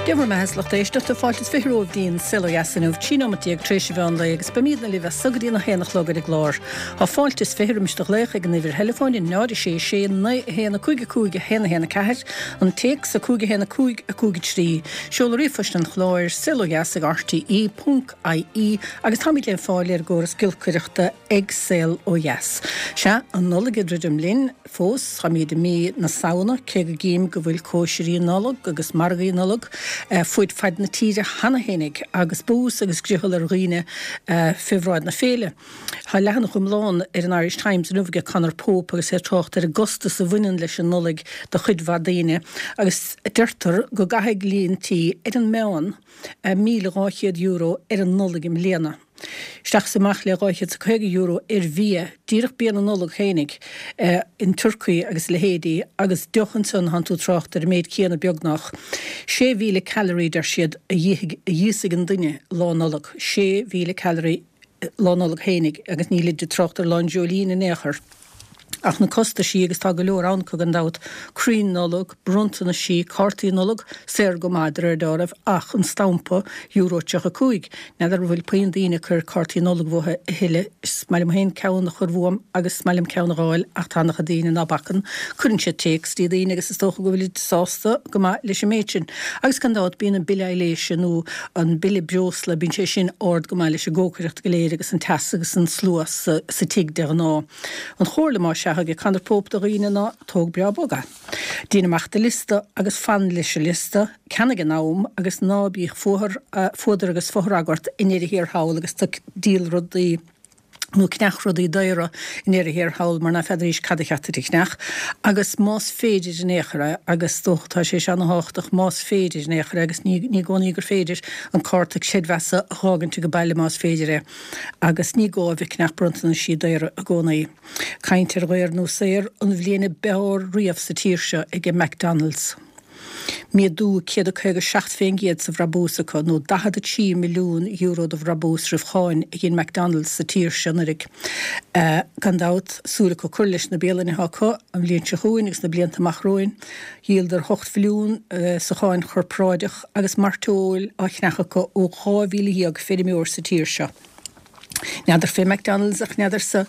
Dia bhur mbeatha 's lucht éisteachta, fáilte is 20 romhaibh dtí'n Saol Ó Dheas inniu, 13 nóimeat tar éis an mheán lae agus beimídne libh as so go dtí an 1 a chlog ar an gclár. Tá fáilte is 20 roimis do ghlaoch ag an uimhir theileafóin, 0 6 6 9 1 5 5 1 1 4, an téacs 5 1 5 5 3, seoladh ríomhphoist an chláir, saolodheas ag rte ponc ie agus táimid le fáil ar an gcóras giolcaireachta ag Saol Ó Dheas. Sea, an Nollaig ag druidim linn fós, táimid i mí na Samhna, cé go gcím go bhfuil cóisirí Nollag agus margaí Nollag fuaid faid na tíre cheana fhéinig agus bús agus griothal ar dhaoine fé bhráid na féile. Tá leathanach iomlán ar an Irish Times inniu aige Conor Pope agus é ag trácht ar an gcostas a bhaineann leis an Nollaig do chuid mhaith daoine agus deirtear go gcaithfidh líon tí ar an meán €1,200 ar an Nollaig i mbliana. Isteach is amach le €250 ar bhia, díreach bia na Nollag fhéinig, an turcaí agus a leithéidí, agus deoch ansan, thánn tú ag trácht ar an méid céanna beagnach. 6,000 calorie, deir siad, a dh'íosfaidh an duine Lá Nollag. 6,000 calorie Lá Nollag fhéinig, agus nílid ag trácht ar Lá an Dreoilín in aon chor. Ach na costaisí, agus tá go leor ann acu gan dabht, crainn Nollag, bronntanaisí, cártaí Nollag, saor go maith de réir dealraimh, ach an stampa, euro 35. N'fheadar an bhfuil puinn daoine ag cur cártaí Nollag uathu a thuilleadh. Is maith liom féin ceann a chur uaim agus is maith liom ceann a dh'fháil ach tá ana-chuid daoine ná bacann. Cuireann siad téacs dtí daoine agus is dócha go bhfuilid sásta go maith leis an méid sin. Agus gan dabht bíonn an bille aibhléise nó an bille breosla, bíonn sé sin ard go maith leis an gcócaireacht go léir agus an teas agus an slua sa tigh de ghnáth. An chomhairle más ea aige Conor Pope do dhaoine ná tóg breá bog é. Déan amach do liosta agus fan leis an liosta, ceannaigh in am agus ná bíodh fuathar, fuadar agus fothrag ort i ndeireadh thiar thall agus tú ag díol rudaí nó ag ceannach rudaí daora i ndeireadh thiar thall mar ná feadaraís cad a cheart duit a cheannach agus más féidir in aon chor é agus is dócha tá sé seo ana-thábhachtach más féidir in aon chor é agus ní i gcónaí gur féidir an cárta creidmheasa a dh'fhágaint age baile más féidir é. Agus ní gá a bheith ag ceannach bronntanaisí daora i gcónaí. Caint ar dhaor nó saor, an bhliain ab fhearr riamh sa tír seo aige McDonalds. Méadú 157% sa bhrabús acu, nó €43 milliún de bhrabús roimh cháin a dhein McDonalds sa tír seo anuraidh. Gan dabht, súil acu cur leis na bialanna atá acu an bhliain seo chugainn agus na blianta amach romhainn. Dhíoladar 8 mhilliún sa cháin chorparáideach agus mairteoil á cheannach acu ó 12,000 feirmeoir sa tír seo. N'fheadar fé McDonalds ach n'fheadarsa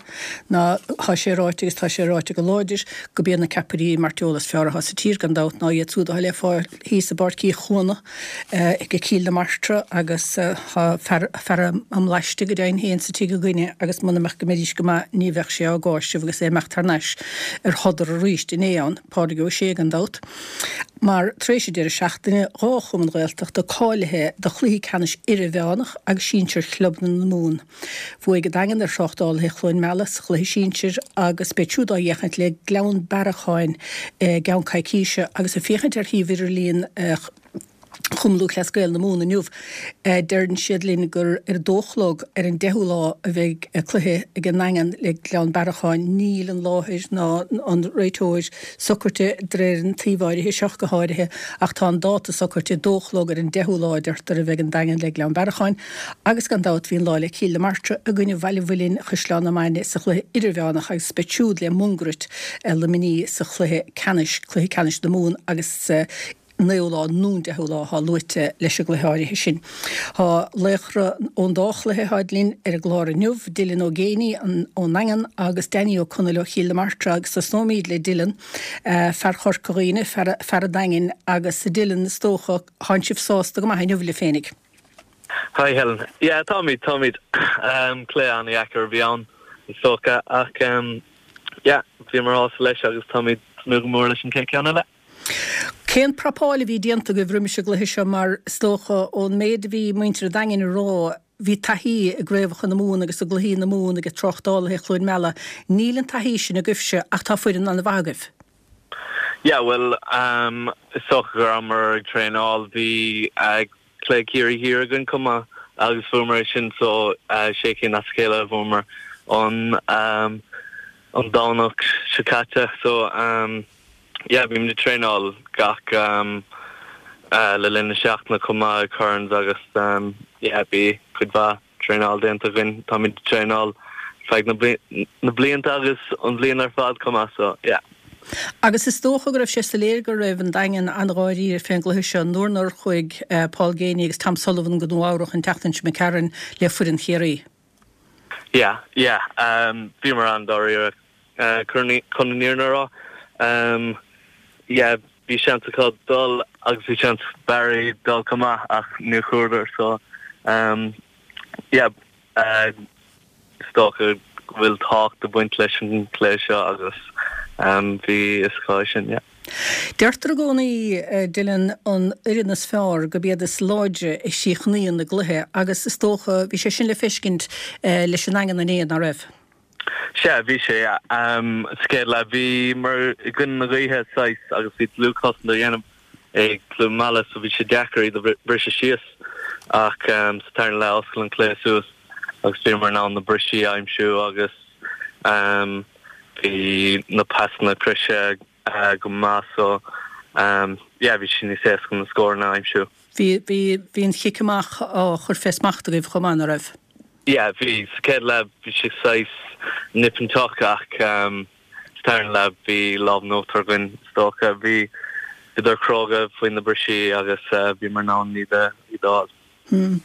ná tá sé ráite agus tá sé ráite go láidir go b'iad na ceapairí mairteola is fearr atá sa tír gan dabht ná iad súd atá le fáil thíos i bPáirc Uí Chuana ag Cill na Martra agus tá fear fear á mblaisteadh go deimhin féin sa tigh againne agus muna mbeadh go mbeidís go maith ní bheadh sé á gcáiseamh agus é imeacht thar n-ais ar shodar arís inné ann. Pádraig Ó Sé gan dabht, mar tar éis an deireadh seachtaine, 2 chumann Ghaeltachta cáilithe do chluichí ceannais idirmheánach agus sinsir chlubanna na Mumhan. Bhuaigh an Daingean ar Thráchtálaithe Chluain Meala sa chluiche sinsir agus beidh siúd á fhéachaint le Gleann Bearacháin i gceann coicíse agus ag féachaint ar shuíomh idirlíon Chumann Lúthchleas Gael na Mumhan inniu. Deireann siad linn gur ar a dó a chlog ar an 10ú lá a bheidh cluiche ag an nDaingean le Gleann Bearacháin. Níl an láthair ná an réiteoir socraite de réir an tsuímh áirithe seo go háirithe ach tá an dáta socraite, dó a chlog ar an 10ú lá a deirtear a bheidh an Daingean le Gleann Bearacháin agus gan dabht bhí an lá le Cill na Martra i gcoinne Bhaile Mhuilinn Chaisleán na Mainge sa chluiche idirmheánach agus beidh siúd le Mungairit Luimnigh sa chluiche ceannais, cluiche ceannais na Mumhan agus 9ú lá nó an 10ú lá atá luaite leis an gcluiche áirithe sin. Tá laochra ón dá chluiche atáid linn ar an gclár inniu, Dylan Ó Géibheannaigh ón nDaingean agus Danny Ó Conaill ó Chill na Martra agus tosnóimid le Dylan, fear Chorca Dhuibhne, fear an Daingin agus Dylan is dócha, thánn sibh sásta go maith inniu libh féinig. Hi Helen. Yeah, táimid, táimid. Cluiche an-dheacair a bhí ann is dócha ach yeah, bhíomar sásta leis agus táimid ag tnúth go mór leis an chéad ceann eile. Cén prapáil a bhí déanta agaibh roimis an gcluiche seo mar is dócha ón méid a bhí muintir an Daingin a rá bhí taithí i gcraobhacha na Mumhan agus i gcluichí na Mumhan ag Tráchtálaithe Chluain Meala. Níl an taithí sin agaibhse ach tá foireann an-mhaith agaibh. Yeah bhuel is dócha go rabhamar ag traenáil bhí cluiche Ciarraí Thiar againn chomh maith agus bhuamar é sin so sé cinn as a chéile a bhuamar an an Domhnach seo caite so yeah bímid ag traenáil gach le linn na seachtaine chomh maith ag Currans agus yeah bhí cuid mhaith traenáil déanta againn táimid ag traenáil feadh na blianta agus an bhliain ar fad chomh maith so yeah. Agus is dócha go raibh sé soiléir go raibh an Daingean an-dháiríre fén gcluiche seo nuair nár chuaigh Paul Geaney agus Tom Sullivan go Nua Eabhrach an tseachtain seo imigh tharainn le foireann Chiarraí. Yeah, yeah. Bhíomar an-dáiríre chun an fhírinne a rá. Yeah, bhí seans acu dul agus bhí seans Barry dul chomh maith ach níor chuadar so yeah, is dócha go bhfuil tábhacht ag baint leis an chluiche seo agus bhí fhios acu é sin, yeah. Deirtear i gcónaí, Dylan, an fhoireann is fearr gurb iad is láidre a chríochnaíonn i gcluiche agus is dócha, bhí sé sin le feiscint leis an nDaingean inné, ná raibh? Sea, bhí sé, yeah. Sa chéad leath bhíomar i gcoinne na gaoithe saghas agus bhí dlúthchosaint á dhéanamh ag Cluain Meala so bhí sé deacair iad a bhriseadh síos ach sa tarna leath oscail an cluiche suas agus bhíomar in ann na brisí a aimsiú agus bhí na pasanna croise go maith so yeah bhí sé níos éasca na scóranna a aimsiú. Bhí, bhí, bhí an chic amach á chur fé smacht agaibh chomh maith, ná raibh? Yeah bhí, sa chéad leath bhí sé saghas nipinteach ach sa tarna leath bhí lámh in uachtar againn is dócha. Bhí, bhíodar cróga faoi na brisí agus bhíomar in ann iad a, iad a fháil. Hm.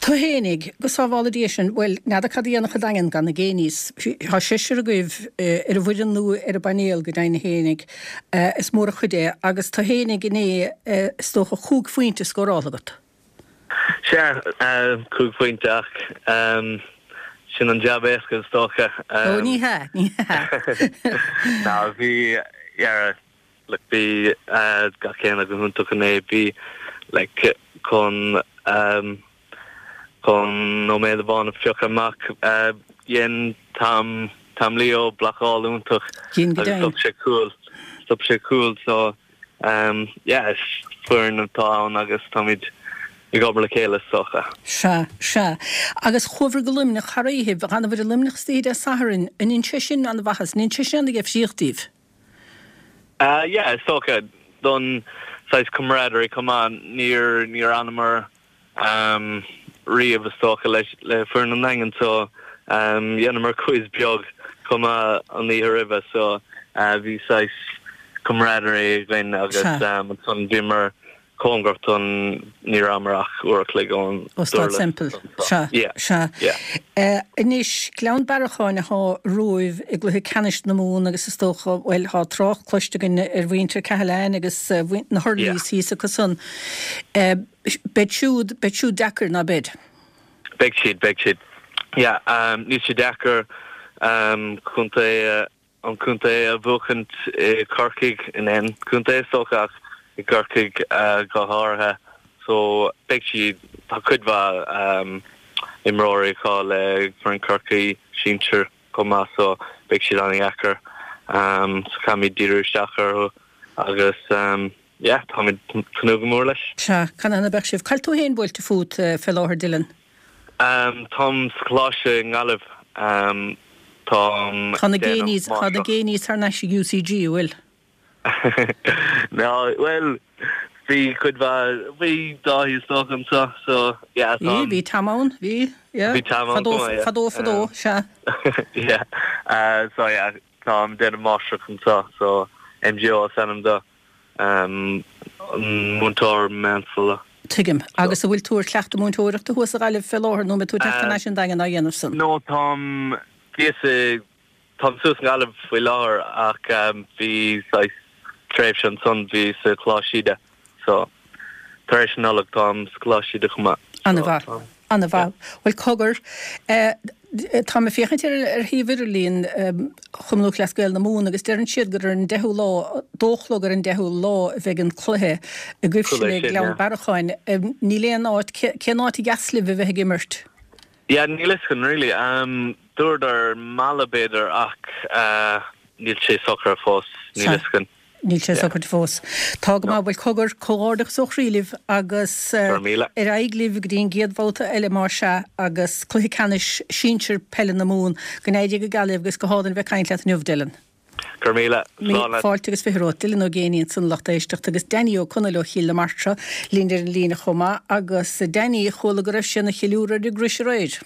Tú fhéinig, go sábhála Dia sinn, bhuel, n'fheadar cad a dhéanfadh an Daingean gan na Geaneys. Tá seisear agaibh ar an bhfoireann nó ar an bpainéal go deimhin fhéinig. Is mór an chuid é. Agus tú fhéinig inné, is dócha, chúig phointe scóráltha agat. Sea, chúig phointe ach sin an jab éasca is dócha. Ó, ní hea, ní hea. Ná, bhí, yeah, Like bhí gach éinne go hiontach inné, bhí like chun chun nóiméad amháin a phiocadh amach dhein Tom Tom Leo blocáil iontach agus stop sé cúl stop sé cúl so yeah is foireann atá ann agus táimid ag obair le chéile is dócha. Sea, sea. Agus chuabhair go Luimneach thar oíche, d'fhanabhair i Luimneach istoíche Dé Sathairn, an ndein sé sin an-mhaitheas, an ndein sé sin an-dheifríocht daoibh? Yeah, is dócha. Don saghas camaraderie chomh maith, níor, níor fhanamar riamh is dócha le, le foireann an Daingin so dheineamar quiz beag chomh maith an oíche roimhe so bhí saghas camaraderie againn agus ansan bhíomar cóngarach don, ní rabhamar ach uair a chloig ón Ó Staid Semple. Sea, sea. Anois, Gleann Bearacháin athá romhaibh i gcluiche ceannais na Mumhan agus is dócha, bhuel, thá trácht cloiste againn ar mhuintir Cahalane agus na Hurleys thíos acu san. Beid siúd, beid siúd deacair, ná beid? Beidh siad, beidh siad. Yeah, níl sé deacair contae an contae a bhuachaint i gCorcaigh, in aon chontae is dócha ach i gCorcaigh go háirithe. So beidh siad, tá cuid mhaith imreoirí acu le foireann Chorcaí sinsir chomh maith so beidh siad an-dheacair. So caithfimid díriú isteach orthu agus yeah táimid tnúth go mór leis. Sea, canathain a bheadh sibh? Cá bhfuil tú féin buailte fút fé láthair Dylan? Táim sa choláiste i nGaillimh. Táim Tá na Geaneys, tá na Geaneys thar n-ais ag UCG, an bhfuil? Ná, bhuel, bhí cuid mhaith, bhí Dáithí is dócha anseo, so yeah, Bhí, táim. bhí Tom ann, bhí, yeah. Bhí Tom ann Fadó, chomh maith, yeah. fadó, fadó, sea. Yeah, so yeah, táim ag déanamh máistreacht anseo, so MGO is ainm dó. Múinteoir meánscoile. Tuigim. Agus an bhfuil tú ar chleachtadh múinteoireachta thuas i Gaillimh fé láthair nó an mbeidh tú ag teacht thar n-ais an Daingean á dhéanamh san? No, táim, bhíos i, táim suas i nGaillimh faoi láthair ach bhí saghas tréimhse ansan, bhíos sa Choláiste Íde so tar éis na Nollag táim sa Choláiste Íde chomh maith. An-mhaith. An-mhaith. Bhuel, cogar, táim ag féachaint ar ar shuíomh idirlín Chumann Lúthchleas Gael na Mumhan agus deireann siad gur ar an deichiú lá, dó a chlog ar an deichiú lá a bheidh an cluiche agaibhse le Gleann Bearacháin. Níl aon áit, cén áit a dheas libh a bheith ag imirt? Yeah, níl fhios againn really. Dúradar Mala b'fhéidir ach níl sé socraithe fós, níl fhios againn. Níl sé socraithe fós. Tá go maith. Bhuel, cogar, comhghairdeachas ó chroí libh agus ar aghaidh libh go dtí an gcéad bhabhta eile más ea agus cluiche ceannais sinsir peile na Mumhan. Go n-éirí go geal libh agus go hálainn a bheith ag caint leat inniu, Dylan. Go raibh míle. Slán leat. Fáilte agus 20 romhat. Dylan Ó Géibheannaigh ansan a lucht éisteachta agus Danny Ó Conaill ó Chill na Martra linn ar an líne chomh maith agus Danny, chuala go raibh sé ina cheiliúradh ar an gcrois aréir.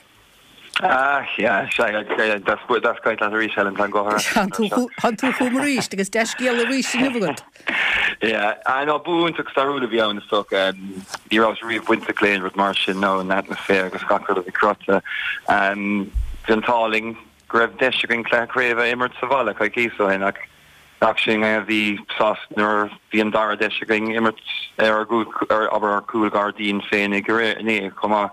Ah, yeah, sea, deas caint leat arís, Helen, tá an guth ar ais anseo. Tánn tú chugam arís agus dea-scéala arís inniu agat. Yeah, ah no, bua iontach stairiúil a bhí ann is dócha. Ní rabhas riamh bainteach le aon rud mar sin, nó an atmaisféar agus gach rud a bhí cruthaithe. Bhí an t-ádh linn go raibh deis againn cluiche craoibhe a imirt sa bhaile coicíos ó shin ach nach sinn a bhí sásta nuair a bhí an dara deis againn imirt ar ár gcúl, ar, abair, ár gcúl gairdín féinig inné chomh maith.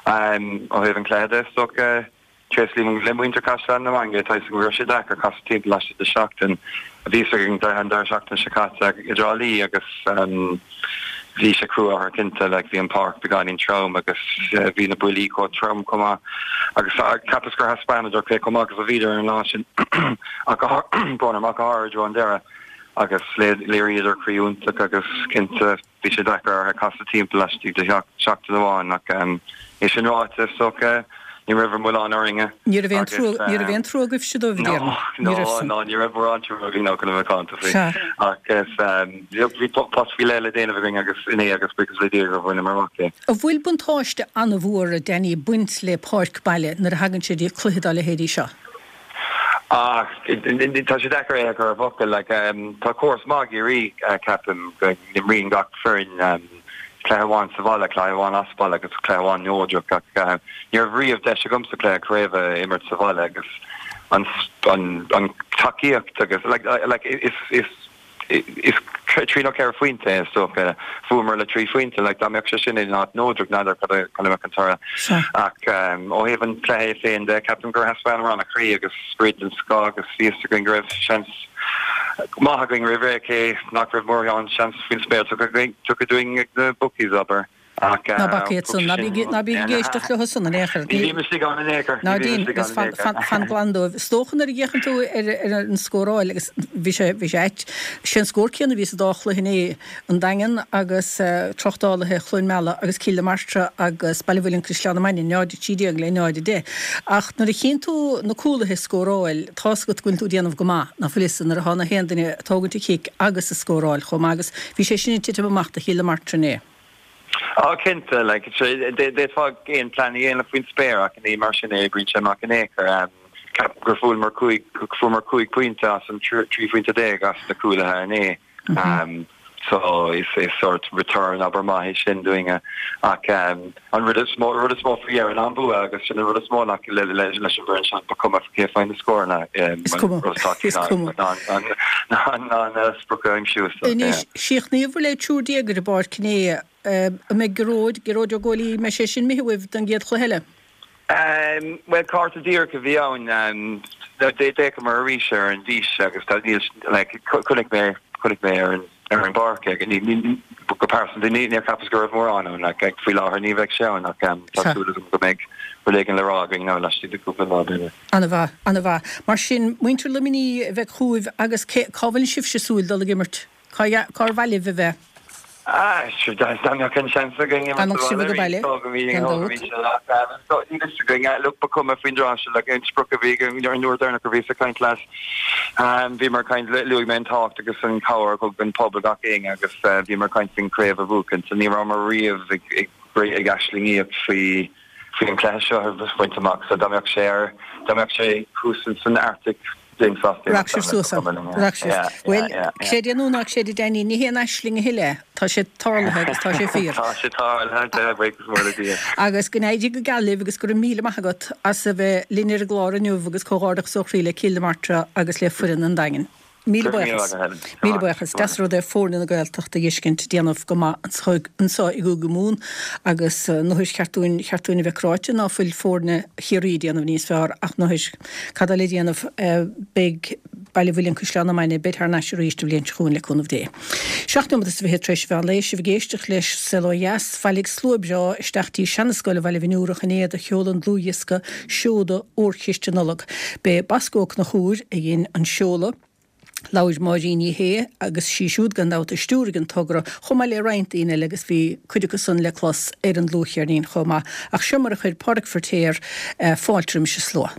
Ó thaobh an chluiche de, is dócha, tréaslaím le muintir Chaisleán na Mainge, tá a fhios agam go raibh sé deacair casadh timpeall laistigh de sheachtain. Bhí a fhios againn an deireadh seachtaine seo caite i dTrá Lí agus bhí sé crua orthu cinnte, like bhí an páirc beagáinín trom agus bhí na buillí chomh trom chomh maith agus cheapas gur thaispeánadar cé chomh maith agus a bhíodar ar an lá sin ach go brón orm ach go háirid i dtreo an deireadh agus léiríodar croí iontach agus cinnte Bhí sé deacair orthu casadh timpeall laistigh de sheachtain amháin ach é sin ráite, is dócha, ní raibh milleán orainne. Ní raibh aon trua, ní raibh aon trua agaibhse dóibh, a déarfainn. Ní raibh san. No, ní raibh mórán trua againn ná chun a bheith macánta faoi. Ach is, bhí post faoi leith le déanamh againn agus inné agus buíochas le Dia gur bhaineamar amach é. An bhfuil buntáiste an-mhór, a Danny, ag baint le páirc baile nuair a thagann sé dtí cluiche dá leithéidí seo? Ach tá sé deacair é a chur i bhfocail. Like, tá córas maith ag Ciarraí, ceapaim, go n-imríonn gach foireann cluiche amháin sa bhaile, cluiche amháin as baile agus cluiche amháin neodrach. Ach ní raibh riamh deis agamsa cluiche craoibhe a imirt sa bhaile agus an, an, an tacaíocht agus, like, like, is, is, Is trí nó ceithre phointe é is dócha. Bhuamar le trí phointe. Like, dá mbeadh sé sin in áit neodrach, n'fheadar cad a bheadh an toradh. Ach ó thaobh an chluiche é féin de, ceapaim gur thaispeánamar an-chroí agus sprid den scoth agus bhí fhios againn go raibh seans maith againn roimh ré, cé nach raibh mórán seans faoin spéir tugtha dúinn ag na bookies, abair. Ach Ná bac iad san, ná bí ná bí ag éisteacht leo san in aon chor. Ní bhím istigh ann in aon chor. Ná déan agus fan fan fan glan dóibh. Is dócha nuair a fhéachann tú ar ar an scóráil agus bhí sé bhí sé ait. Sé an scór céanna a bhí sa dá chluiche inné, an Daingean agus Tráchtálaithe Chluain Meala agus Cill na Martra agus Baile Mhuilinn Caisleán na Mainge, 0-13 le 0-10. Ach nuair a chíonn tú na cúlaithe ag scóráil, tá's agat go bhfuil tú ag déanamh go maith, ná fuil fhios nuair atá na haon duine ag tógaint an chic agus ag scóráil chomh maith agus bhí sé sin ag titim amach do Chill na Martra inné. Á, cinnte, like, d'fhéadfá aon plean a dhéanamh faoin spéir ach ní mar sin a oibríonn sé amach in aon chor. Ceapaim gur fuaireamar cúig, fuaireamar 15 pointe as an 13 phointe as na cúlaithe inné. So is is sort return abair maith é sin dúinne ach an rud is mó rud is mó faoi dheireadh ná an bua agus sin an rud is mó nach le leis an bhfoireann seo ba cuma cé a faigheann na scóranna Is cuma, is cuma. ná an sprioc a aimsiú. Anois, chríochnaíobhair le 13 ar an bpáirc inné. An mbeidh Gearóid, Gearóid Ó Góilí, an mbeidh sé sin imithe uaibh don gcéad chluiche eile? Bhuel, cárta díreach a bhí ann. D'fhéachamar arís ar an bhfís agus tá, níl, like, chonaic mé, chonaic mé ar an, ar an bpáirc é. Ní, ní, go pearsanta, ní, níor cheapas go raibh mórán ann. Like, faoi láthair ní bheidh sé ann ach tá súil agam go mbeidh rud éigin le rá againn now laistigh de chúpla lá, b'fhéidir. Ana-mhaith, ana-mhaith. Mar sin, muintir Luimnigh a bheidh chugaibh agus cé, cá bhfuil sibhse ag súil dul ag imirt? Cá, cár mhaith libh a bheith? Ah, sure, dá mbeadh an seans againn imirt sa bhaile arís, gan dabht. Níl fhios againn, look, ba chuma faoin dtráth seo, like, an sprioc a bhí againn an uair deireanach a bhíos ag caint leat, bhíomar ag caint, luaigh mé an tábhacht agus an chabhair a thug an pobal gach éinne agus bhíomar ag caint faoin chraobh a bhuachan, so ní rabhamar riamh ag ag aislingíocht faoi faoi an cluiche seo a bhaint amach, so dá mbeadh sé ar, dá mbeadh sé thuas san Arctic, bheinn sásta Raghadh sibh suas ann. Raghadh sibh. Bhuel, creid é nó ná creid a Danny, ní haon aisling a thuilleadh é. Tá sé tarlaithe agus tá sé fíor. Tá sé tarlaithe, buíochas mór le Dia. Agus go n-éirí go geal libh agus go raibh míle maith agat as a bheith linn ar an gclár inniu agus comhghairdeachas ó chroí le Cill na Martra agus le foireann an Daingin. Míle buíochas. Míle buíochas. Deas an rud é foirne na Gaeltachta a fheiscint ag déanamh go maith anseo i gCúige Mumhan agus n'fheadar cheart dúinn, cheart dúinn a bheith cráite ná fuil foirne Chiarraí ag déanamh níos fearr ach n'fheadar cad tá le déanamh. Beidh Baile Mhuilinn Caisleán na Mainge, beid thar n-ais arís an bhliain seo chugainn le cúnamh Dé. Seacht nóiméad is fiche tar éis mheán lae, sibh ag éisteacht leis Saol Ó Dheas. Bhailigh slua breá isteach dtí Seana-Scoil Bhaile Bhinn Iúrach inné do sheoladh an dlúthdhiosca Seoda Órchiste Nollag. B'é Bosco Ó Conchúir a dhein an seoladh. Labhair Máirín Ní Shé agus sí siúd gan dabht a stiúraigh an togra, chomh maith le roinnt daoine eile agus bhí cuid acu san le clos ar an dlúthcheirnín chomh maith. Ach seo mar a chuir Pádraic Feiritéar fáilte roimis an slua.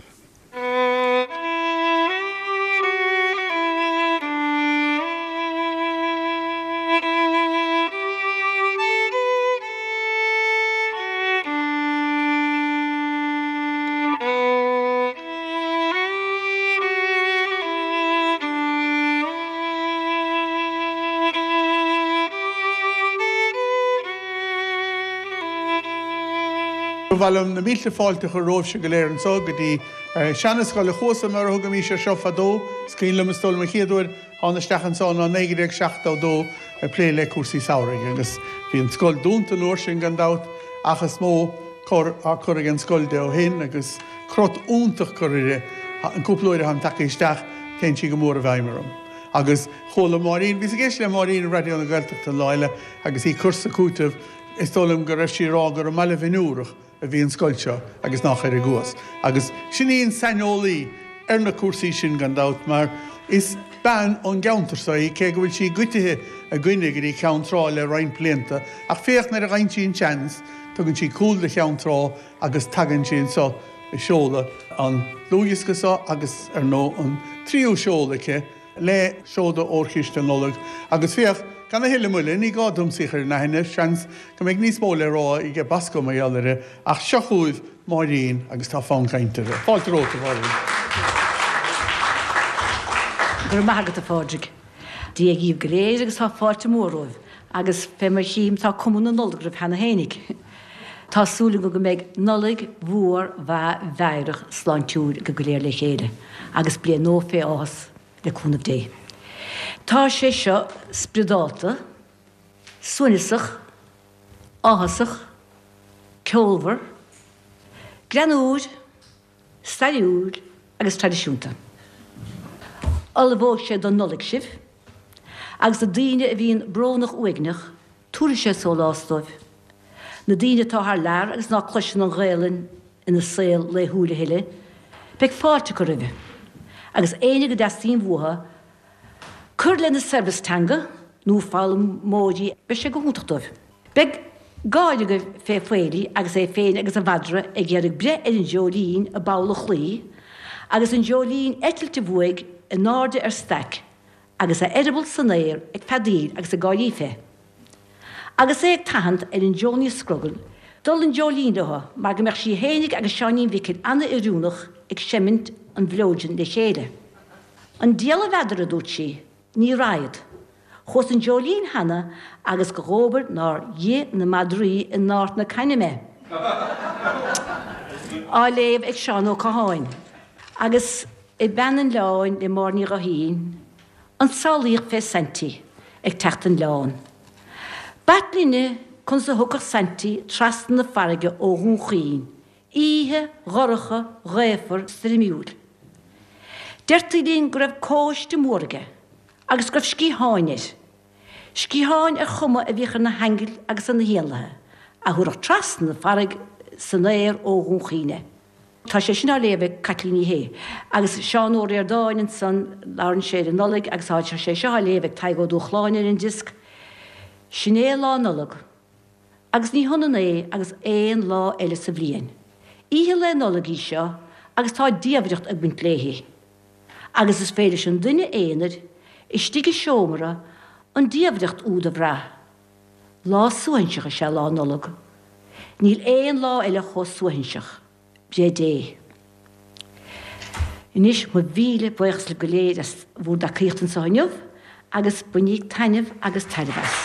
Ba mhaith liom na mílte fáilte a chur romhaibhse go léir anso go dtí Seana-Scoil a' Chuasa mar a thugaimís air seo fadó. Is cuimhin liom, is dóigh liom an chéad uair a thána isteach anso ná 1972 ag plé le cúrsaí samhraidh agus bhí an scoil dúnta an uair sin gan dabht ach is mó cor á cur ag an scoil de ó shin agus crot iontach curtha uirthi. An cúpla uair atáim tagtha isteach téann sí go mór i bhfeidhm orm. Agus chuala Máirín, bhíos ag éisteacht le Máirín i Raidió na Gaeltachta an lá eile agus í ag cur 's ag cúiteamh, Is dóigh liom go raibh sí ag rá gur i mBaile Bhinn Iúrach a bhí an scoil seo agus nách ar an gCuas. Agus sin í an saineolaí ar na cúrsaí sin gan dabht mar is bean ón gceantar seo í cé go bhfuil sí goitithe againne go dtí Ceann Trá le roinnt blianta ach féach nuair a fhaigheann sí an seans tugann sí cúl do Cheann Trá agus tagann sí anso ag seoladh an dlúthdhiosca seo agus ar ndóigh an tríú seoladh aici le seoda Órchiste Nollag agus féach, gan a thuilleadh moille, ní gá domsa í a chur in aithne, seans go mbeidh níos mó le rá aige Bosco mar gheall uirthi, ach seo chugaibh Máirín agus tá fonn cainte uirthi. Fáilte romhat, a Mháirín. Go raibh maith agat, a Phádraig. Dia dhíbh go léir agus tá fáilte mhór romhaibh agus fé mar chím tá cuma na Nollag oraibh cheana fhéinig. Tá súil agam go mbeidh Nollaig mhór mhaith mheidhreach sláintiúil agaibh go léir le chéile agus bliain nua fé áthas le cúnamh Dé. Tá sé seo spioradálta, suaimhneasach, áthasach, ceolmhar, greannúr, stairiúil agus traidisiúnta. Ullmhóidh sé don Nollaig sibh agus na daoine a bhíonn brónach uaigneach, Tabharfaidh sé sólás dóibh. Na daoine atá thar lear agus ná cloiseann an Ghaelainn ina saol laethúil a thuilleadh, beidh fáilte acu roimhe. Agus éinne go dteastaíonn uathu cur lena saibhreas teanga, nó foghlaimeoirí, beidh sé go hiontach dóibh. Beidh gáire agaibh fé Phaidí agus é féin agus a mhadra ag iarraidh breith ar an dreoilín i bpoll an chlaí, agus an dreoilín eitilte uaidh in airde ar staic agus a eireaball san aer ag feadaíl agus ag gáirí fé. Agus é ag tathant ar an Joanie Scrogall dul an dreoilín leo mar go mbeadh sí fhéinig agus Seáinín Mhicil ana-oiriúnach ag seimint an bhleoidin le chéile. An diabhal a n'fheadar, a dúirt sí, ní raghad. Chuas an dreoilín cheana agus go dhóbair nár dh'ith na madraí in Ard na Caithne mé. Á léamh ag Seán Ó Catháin. Agus i Bean an Oileáin le Máire Ní Ghuithín, an tsamhlaíocht fé Saintí ag teacht don oileán. B'ait linne conas a thiocfadh Saintí trasna na farraige ó Dhún Chaoin, oíche dhorcha ghaofar stoirmiúil. Deirtí linn go raibh cóiste mór aige agus go raibh sciatháin air, sciatháin ar chuma a bhíodh ar na haingil agus ar na héanlaithe, a thabharfadh trasna na farraige san aer ó Dhún Chaoin é. Tá sé sin á léamh ag Caitlín Ní Shé. Agus Seán Ó Ríordáin ansan, labhrann sé ar an Nollaig agus tá sé seo á léamh ag Tadhg Ó Dúshláine ar an diosc. Sin é Lá Nollag. Agus ní hionann é agus aon lá eile sa bhliain. Oíche Lae Nollag í seo agus tá diamhaireacht ag baint léi. Agus is féidir leis an duine aonair, istigh i seomra, an diamhaireacht úd a bhrath. Lá suaithinseach is ea Lá Nollag. Níl aon lá eile chomh suaithinseach. Breith Dé. Anois, mo mhíle buíochas libh go léir as bhúr dtacaíocht anseo inniu agus bainíg taitneamh agus tairbhe as.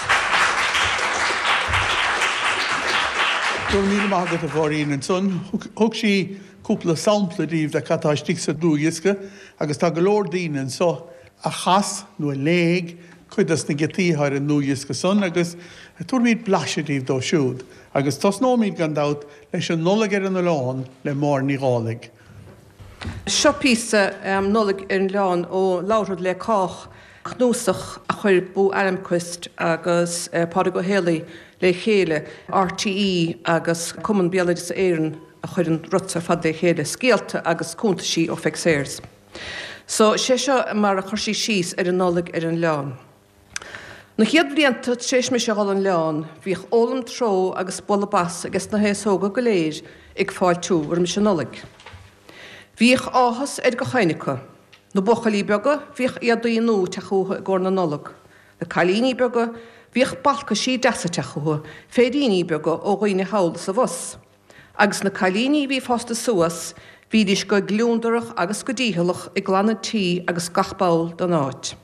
Go raibh míle maith agat a Mháirín. Ansan thug sí cúpla sampla daoibh de cad tá istigh sa dlúthdhiosca agus tá go leor daoine anso a chas nó a léigh cuid dos na giotaí atá ar an ndlúthdhiosca san agus tabharfaimid blaiseadh daoibh dóibh siúd. Agus tosnóimid, gan dabht, leis an Nollaig ar an Oileán le Máire Ní Dhálaigh. Seo píosa, Nollaig ar an Oileán, ó Labharfad le Cách, cnuasach a chuir Boo Almqvist agus Pádraig Ó Héalaí le chéile, RTÉ agus Cumann Béaloideasa Éireann a chuir an rud seo ar fad le chéile, scéalta agus cuntaisí ó Pheig Sayers. So, sé seo mar a chuir sí síos ar an Nollaig ar an Oileán. Na chéad bhlianta tar éis mise a dhul 'on oileán, bhíodh ólam tró agus bualadh bas ages na haosóga go léir ag fáiltiú roimis an Nollaig. Bhíodh áthas ar gach éinne acu. Na buachaillí beaga, bhíodh éadaí nua ag teacht chucu i gcomhair na Nollag. Na cailíní beaga, bhíodh balcaisí deasa ag teacht chucu, féiríní beaga ó dhaoine thall is abhus. Agus na cailíní a bhí fásta suas, bhídís go gliúndarach agus go dícheallach ag glanadh tí agus gach ball den áit.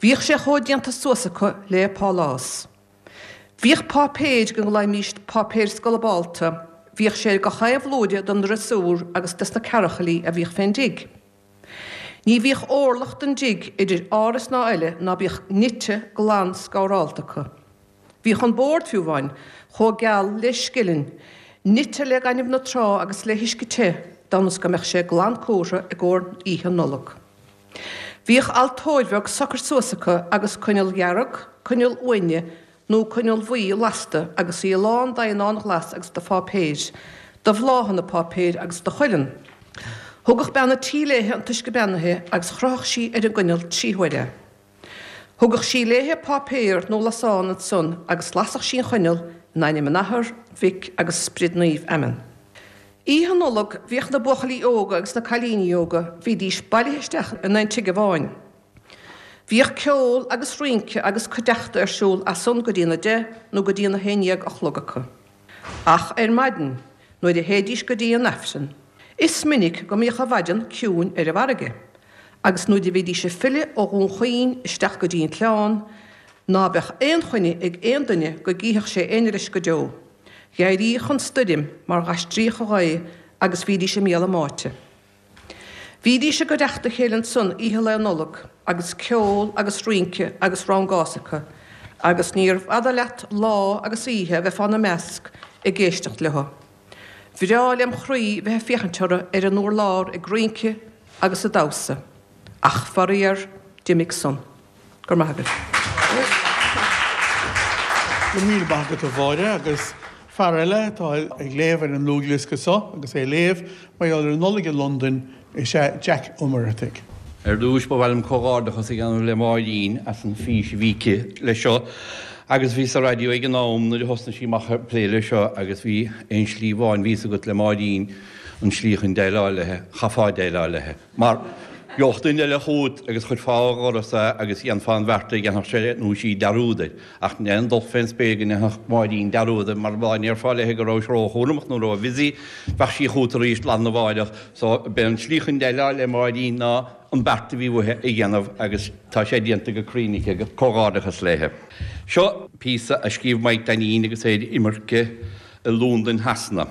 Bhíodh sé chomh déanta suas acu le pálás. Bhíodh páipéir go nglaoimíst páipéir scolabálta. bhíodh sé ar gach aon bhlúire den ndriosúr agus des na cearchaillí a bhíodh fén dtigh. Ní bhíodh órlach den dtigh idir áras ná eile ná bíodh nite glan scabhrálta acu. Bhíodh an bord, fiú amháin, chomh geal le scillin, nite le gaineamh na trá agus le huisce te d'fhonn is go mbeadh sé glan cúrtha i gcomhair oíche Nollag. Bhíodh altóir bheag socair suas acu agus coinneal dhearg, coinneal uaine nó coinneal bhuí lasta agus í lán d'eidhneán ghlas agus de pháipéir, de bhláthanna páipéir agus de chuileann. Thugadh bean an tí léithe an t-uisce beannaithe agus chroitheadh sí ar an gcoinneal trí huaire é. Thugadh sí léithe páipéar nó lasán ansan agus lasadh sí an choinneal in ainm an Athar, Mhic agus Sprid Naoimh. Amen. Oíche Nollag bhíodh na buachaillí óga agus na cailíní óga, bhídís bailithe isteach in aon tigh amháin. Bhíodh ceol agus rince agus cuideachta ar siúl as san go dtí na deich nó go dtí na haon dhéag a chlog acu. Ach ar maidin, nuair a théidís go dtí an Aifreann, is minic go mbíodh an mhaidean ciúin ar an bhfarraige, agus nuair a bhídís ag filleadh ó Dhún Chaoin isteach go dtí an tSleán, ná beadh aon choinne ag aon duine go gcífeadh sé éinne leis go deo. Dh'éiríodh an stoirm mar dh'aistríodh an ghaoth agus bhídís i mbéal a mbáite. Bhídís i gcuideachta a chéile ansan oíche Lae Nollag agus ceol agus rince agus rangás acu agus níorbh fhada leat lá agus oíche a bheith fána measc ag éisteacht leo. Bhreá lem chroí bheith ag féachaint orthu ar an urlár ag rince agus ag damhsa. Ach faraor, d'imigh san. Go raibh maith agat. Go raibh míle maith agat a Mháire agus fear eile atá ag léamh ar an ndlúthdhiosca seo agus é ag léamh mar gheall ar an Nollaig i Londain is ea Jack Ó Muircheartaigh. Ar dtúis ba mhaith liom comhghairdeachas a dhéanamh le Máirín as an fís a bhí aici leis seo agus bhíos sa raidió ag an am nuair a thosnaigh sí amach ag plé leis seo agus bhí aon slí amháin bhí fhios agat le Máirín an slí chun déileáil léi, chaithfeá déileáil léi. Mar gheobhadh duine eile chugat agus chuirfeá ó dhoras é agus dhéanfá an bheart a dhéanfadh sé nó sí dearúd air. Ach ní dul fén spéir go ndéanfadh Máirín dearúd air mar dá ndéarfá léi go rabhais róchúramach nó ró-bhusy, bheadh sí chugat arís lá arna mháireach. So, b'é an tslí chun déileáil le Máirín ná an beart a bhí uaithi a dhéanamh agus tá sé déanta go cruinn aici. Comhghairdeachas léi. Seo píosa a scríobh Maidhc Dainín agus é ar imirce i Londain Shasana,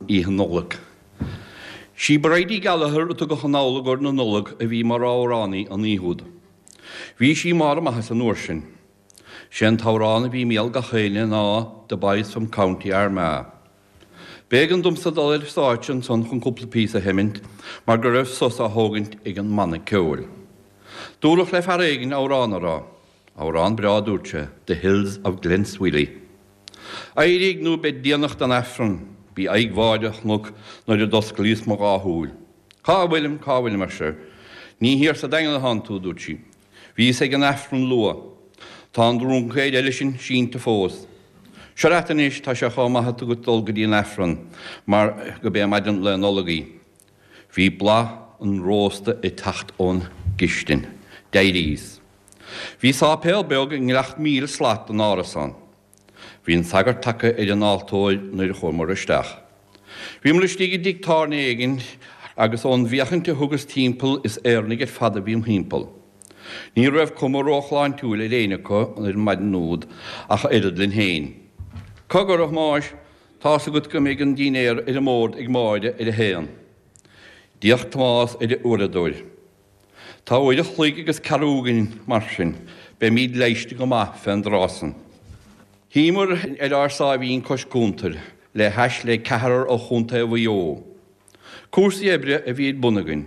Oíche Nollag. Sí Bridie Gallagher a tugadh anall i gcomhair na Nollag a bhí mar amhránaí an oíche úd. Bhí sí i mbarr a maitheasa an uair sin. Sé an t-amhrán a bhí i mbéal gach éinne ná The Boys from County Armagh. B'éigean domsa dul ar stáitse ansan chun cúpla píosa a sheimint mar go raibh sos á thógaint ag an mbanna ceoil. Dúradh le fear éigin amhrán a rá. Amhrán breá a dúirt sé, The Hills of Glenswilly. Éirigh nó beidh déanach don Aifreann. B'í aghaidh Mháire a chonac nuair a d'osclaíos mo dhá shúil. Cá bhfuilim, cá bhfuilim, ar sise. Ní thiar sa Daingean atánn tú, a dúirt sí. Bhíos ag an Aifreann luath. Tá an drúncaeir eile sin sínte fós. Seo leat anois, tá sé chomh maith agat dul go dtí an Aifreann mar go b'é maidin Lae Nollag í. Bhí blas an rósta ag teacht ón gcistin. D'éiríos. Bhí sáipéal beag i ngleacht 1,000 slat den árasán. Bhí an sagart tagtha ar an altóir nuair a chuamar isteach. Bhíomar istigh i dtigh tábhairne éigin agus ón bhféachaint a thugas timpeall is Éireannaigh ar fad a bhí im thimpeall. Ní raibh cuma róshláintiúil ar éinne acu ar an maidin úd ach oiread linn féin. Cogar, a Thomáis, tá's agat go mbeidh an dinnéar ar an mbord ag Máire ar a haon. D'fhéach Tomás ar a uaireadóir. Tá uair a chloig agus ceathrú againn mar sin beimíd leighiste go maith fén dtráth san. Shuíomar ar ár sáimhín cois cuntair le hais le ceathrar ó Chontae Mhaigh Eo. Cúrsaí oibre a bhí ar bun againn.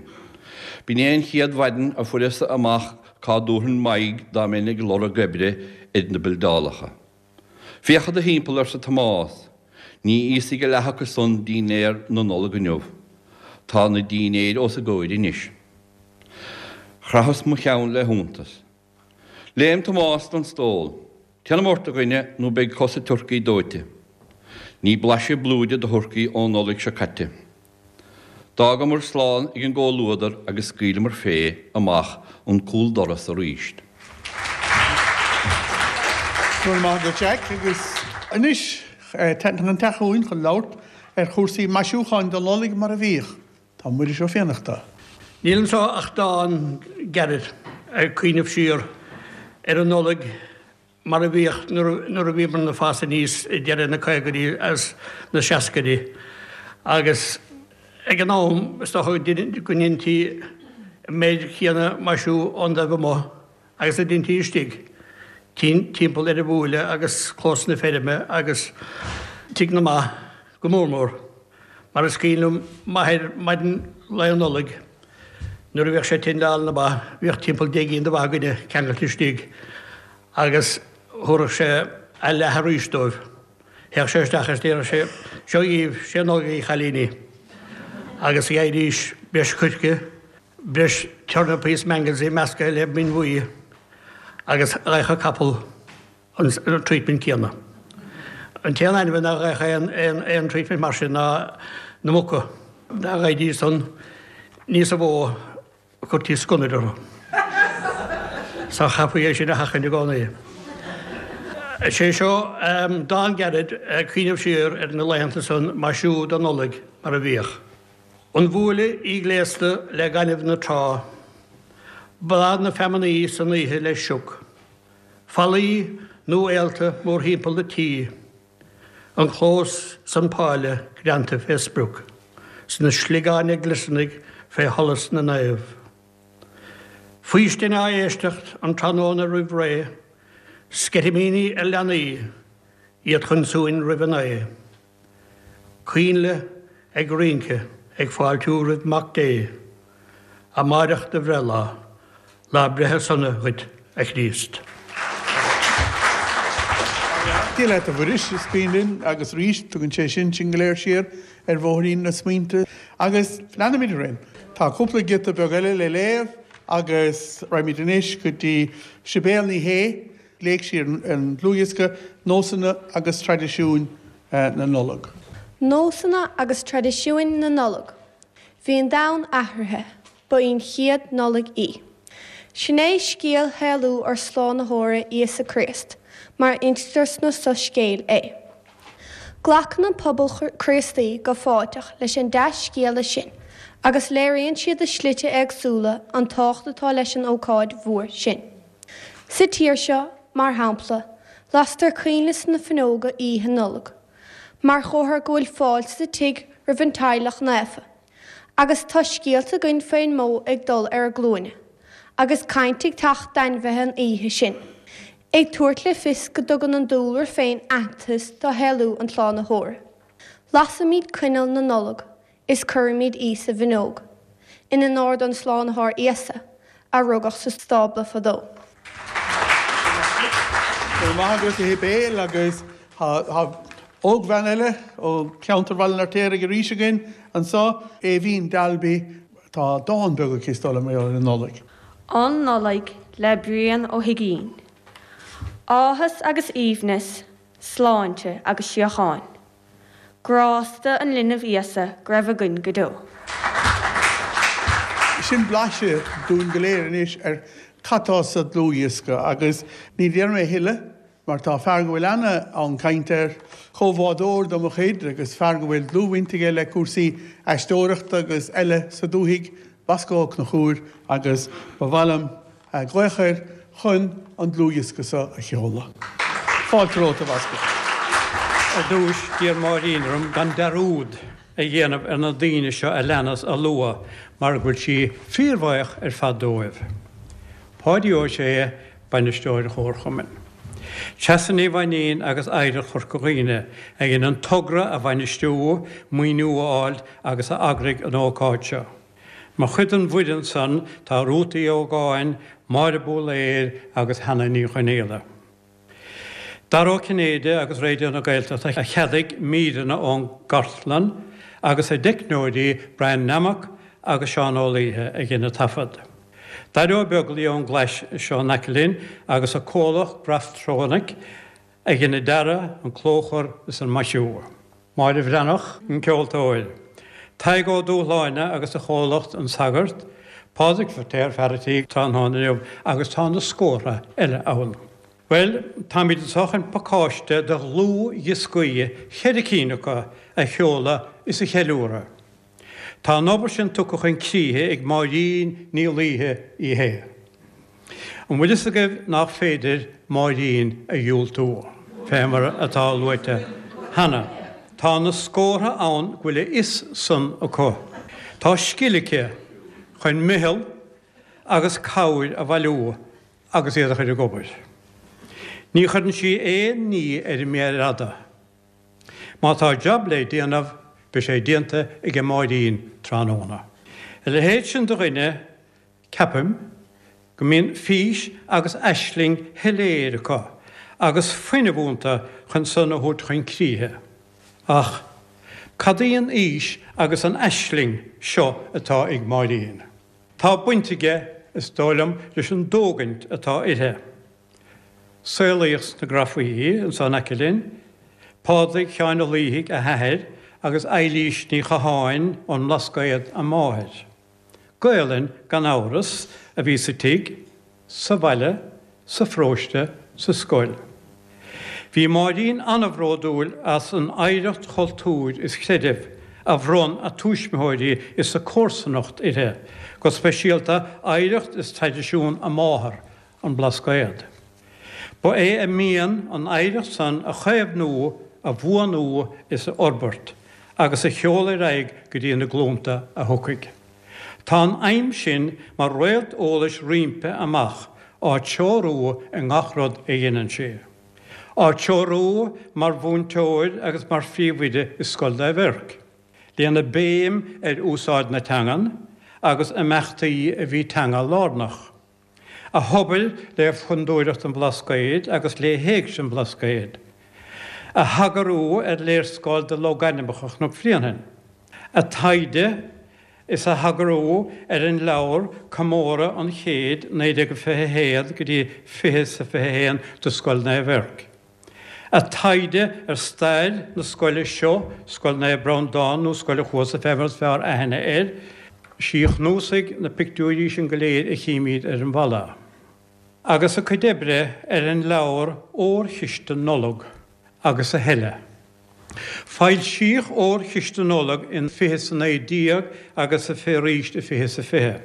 B'in é an chéad mhaidin a fuaireas-sa amach cá dtabharfainn m'aghaidh dá mbeinn ag lorg oibre ar na bildeálacha. Féach i do thimpeall, arsa Tomás. Ní íosfaidh a leath acu san dinnéar na Nollag inniu. Tá na dinnéir os a gcomhair anois. Chroitheas mo cheann le hiontas. Léim Tomás den stól. Téanam ort, a dhuine, nó beidh cosa turcaí dóite. Ní blaiseadh blúire de thurcaí ón Nollaig seo caite. D'fhágamar slán ag an gcomhluadar agus scaoileamar fé amach an cúldoras arís. Go raibh maith agat Jack agus anois tagann an teach chugainn chun labhairt ar chúrsaí maisiúcháin don Nollaig mar a bhíodh. Tá Muiris Ó Fiannachta. Níl anseo ach dán gairid ag cuimhneamh siar ar an Nollaig mar a bhíodh nuair a bhíomar ag fás aníos i deireadh na caogaidí agus na seascaidí. Agus ag an am, is dócha go ndeintí an méid chéanna maisiú ón dtaobh amuigh agus a deintí istigh, timpeall ar an bhuaile agus clós na feirme agus Tigh na mBa go mór mór. Mar is cuimhin liom m'athair maidin Lae Nollag nuair a bhíodh sé tinn le hál na ba, bhíodh timpeall 10 gcinn de bha againne ceangailte istigh agus thabharfadh sé a leath arís dóibh. Théadh sé isteach is déarfadh sé, Seo dhíbh, 'sé Nollaig í, a chailíní. Agus gheibhidís breis coirce, breis turnapaí is mangelsaí measctha le min bhuí agus gheibheadh an capall an treatment céanna. An t-aon ainmhí nach bhfaigheadh aon treatment mar sin ná na muca. Dá bhfaighidís san níosa mhó Chuirtí sconnaire orthu. So chaithfí é sin a sheachaint i gcónaí. Is é seo dán gairid ag cuimhneamh siar ar na laethanta san maisiú don Nollaig mar a bhíodh. An bhuaile í gléasta le gaineamh na trá, Bláth na feamnaí san oíche le sioc, Fallaí nó éalta mórthimpeall an tí, An clós 's an páile greanta fé sprioc, 's na sliogáin ag gliosarnaigh fé sholas na naomh. Faoistin á éisteacht an tráthnóna roimh ré, Sceitimíní ar leanaí, iad chun suain roimh an oe. Coinnle ag rince ag fáiltiú roimh Mac Dé, Amáireach do bhreithlá, Lá breithe sona dhuit, a Chríost. Dia leat a Mhuiris, is cuimhin linn, agus arís, tugann sé sin sinn go léir siar ar bhóithrín na smaointe. Agus leanfaimid orainn. Tá cúpla giota beag eile le léamh agus raghaimid anois go dtí Sibéal Ní Shé. Léifidh sí an dlúthdhiosca Nósanna agus Traidisiúin na Nollag. Nósanna agus Traidisiúin na Nollag. Bhí an domhan athraithe. Ba í an chéad Nollaig í. Sin é scéal shaolú ár Slánaitheora Íosa Críost, mar a instear sna Soiscéil é. Glacann an pobal Críostaí go fáilteach leis an dea-scéala sin agus léiríonn siad i slite éagsúla an tábhacht atá leis an ócáid mhór sin. Sa tír seo, mar shampla, lastar coinnle sna fuinneoga Oíche Nollag, mar chomhartha go bhfuil fáilte sa tigh roimh an teaghlach naofa. Agus tá scéalta againn faoin mbó ag dul ar a glúine, agus caint ag teacht d'ainmhithe an oíche sin, ag tabhairt le fios go dtugann an dúlra féin aitheantas do shaolú an tSlánaitheora. Lasaimid coinneal na Nollag is cuirimid í sa bhfuinneog, in onóir don Slánaitheoir Íosa, a rugadh sa stábla fadó. Go raibh maith agat a Shibéal agus tá ógbhean eile ó cheantar Bhaile an Fheirtéaraigh arís againn anseo, Aoibhín Dalby. Tá dán beag aici is dóigh liom ar an Nollaig. An Nollaig le Brian Ó hUigínn. Áthas agus aoibhneas, sláinte agus síocháin. Grásta an linbh Íosa go raibh againn go deo. Sin blaiseadh dúinn go léir anois ar cad tá sa dlúthdhiosca agus ní déarfaidh mé a thuilleadh mar tá fear go bhfuil ana-fhonn cainte air, comhbhádóir de mo chuid agus fear go bhfuil dlúthbhaint aige le cúrsaí aisteoireachta agus eile sa dúthaigh, Bosco Ó Conchúir agus ba mhaith liom glaoch air chun an dlúthdhiosca seo a sheoladh. Fáilte romhat, a Bhosco. Ar dtúis, d'iarr Máirín orm gan dearúd a dhéanamh ar na daoine seo a leanas a lua mar go bhfuil sí fíorbhuíoch ar fad dóibh. Páidí Ó Sé, Bainisteoir an Chomharchumainn. Treasa Ní Mhainín agus Oidhreacht Chorca Dhuibhne a dhein an togra a bhainistiú, maoiniú a fháil agus a eagraigh an ócáid seo. Mar chuid den bhfoireann san tá Rút Uí Ógáin, Máire Búlaeir agus Hannah Ní Chonaola. Dara Ó Cinnéide agus Raidió na Gaeltachta a cheadaigh míreanna ón gcartlann agus a dteicneoirí Brian Nammock agus Seán Ó Laoithe a dhein an taifead. Daire Ó Beaglaoi ón gClais seo in aice linn agus a comhlacht Graftronic a dhein an dearadh, an clóchur is an maisiú. Máire Bhreathnach, an ceoltóir. Tadhg Ó Dúshláine agus a chomhlacht An Sagart, Pádraig Feirtéar, fear a' tí tráthnóna inniu agus tá na scórtha eile ann. Bhuel, táimid anseo chun pacáiste de dhlúthdhioscaí, cheithre cinn acu, a sheoladh is a cheiliúradh. Tá an obair sin tugtha chun críche ag Máirín Ní Laoithe í fhéin. An bhfuil fhios agaibh nach féidir Máirín a dhiúltú, fé mar atá luaite cheana. Tá na scórtha ann go bhfuil a fhios san acu. Tá scil aici chun meitheal agus cabhair a bhailiú agus iad a chur ag obair. Ní chuireann sí aon ní ar an méar fhada. Má tá jab le déanamh, beidh sé déanta aige Máirín tráthnóna. A leithéid sin de dhuine, ceapaim, go mbíonn fís agus aisling shoiléir acu agus fuinneamh iontu chun san a thabhairt chun críche. Ach cad í an fhís agus an aisling seo atá ag Máirín? Tá baint aige, is dóigh liom, leis an dtógaint atá uirthi. Saolaíodh sna Grafaí, anso in aice linn, Pádraig Sheáin Ó Laoithigh, a hathair, agus Eilís Ní Chatháin ón mBlascaod a máthair. Gaolainn, gan amhras, a bhí sa tigh, sa bhaile, sa pharóiste, sa scoil. Bhí Máirín an-bhródúil as an oidhreacht chultúir is chreidimh a bhronn a tuismitheoirí is a comharsanacht uirthi, go speisialta oidhreacht is traidisiún a máthar, an Blascaod. Ba é a mian an oidhreacht san a chaomhnú, a bhuanú is a fhorbairt, agus a sheoladh ar aghaidh go dtí na glúnta a thiocfaidh. Tá an aidhm sin mar réalt eolais roimpi amach á treorú i ngach rud a dheineann sí. Á treorú mar mhúinteoir agus mar phríomhoide i Scoil Naomh Eirc, lena béim ar úsáid na teangan agus imeachtaí a bhí teanga lárnach. A hobair le Fondúireacht an Bhlascaoid agus le hÉigse an Bhlascaoid. A heagrú ar léarscáil de logainmneacha Chnoc Bhréanainn. A taighde is a heagrú ar an leabhar Comóradh an Chéid 1921 go dtí 20 is 21 do Scoil Naomh Eirc. A taighde ar stair na scoile seo, Scoil Naomh Breandán nó Scoil an Chuasa fé mar is fearr aithne air, sí a chnuasaigh na pictiúirí sin go léir a chímíd ar an bhalla. Agus a cuid oibre ar an leabhar Órchiste Nollag agus a thuilleadh. Foilsíodh Órchiste Nollag in 20 is 19 agus a arís i 20 is 20.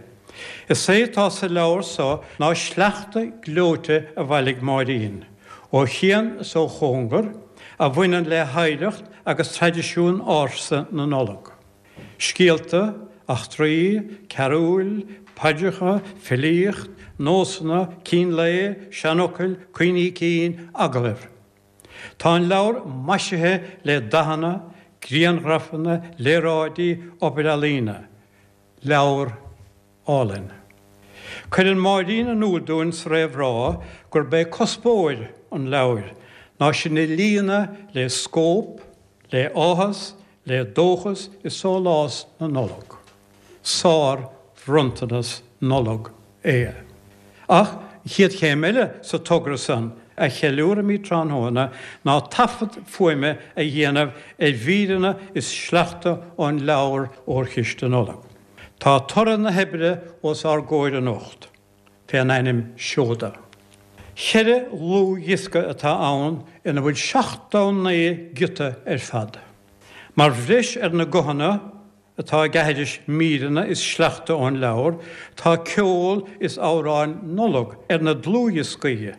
Is é atá sa leabhar so ná sleachta gleoite a bhailigh Máirín, ó chian is ó chóngar, a bhaineann le hoidhreacht agus traidisiún ársa na Nollag. Scéalta, eachtraí, carúil, paidreacha, filíocht, nósanna, cín lae, seanfhocail, cuimhní cinn, agallaimh. Tá an leabhar maisithe le dathanna, grianghrafanna, léaráidí, obair ealaíne. Leabhar álainn. Cuireann Máirín in iúl dúinn sa réamhrá gurb é cuspóir an leabhair ná sinn a líonadh le scóp, le áthas, le dóchas is sólás na Nollag. Sár-bhronntanas Nollag é. Ach an chéad chéim eile sa togra san a cheiliúraimid tráthnóna ná taifead fuaime a dhéanamh ar mhíreanna is sleachta ón leabhar Órchiste Nollag. Tá toradh na hoibre os ár gcomhair anocht, fén ainm Seoda. Cheithre dhlúthdhiosca atá ann ina bhfuil 79 giota ar fad. Mar bhreis ar na guthanna atá ag aithris míreanna is sleachta ón leabhar, tá ceol is amhráin Nollag ar na dlúthdhioscaí,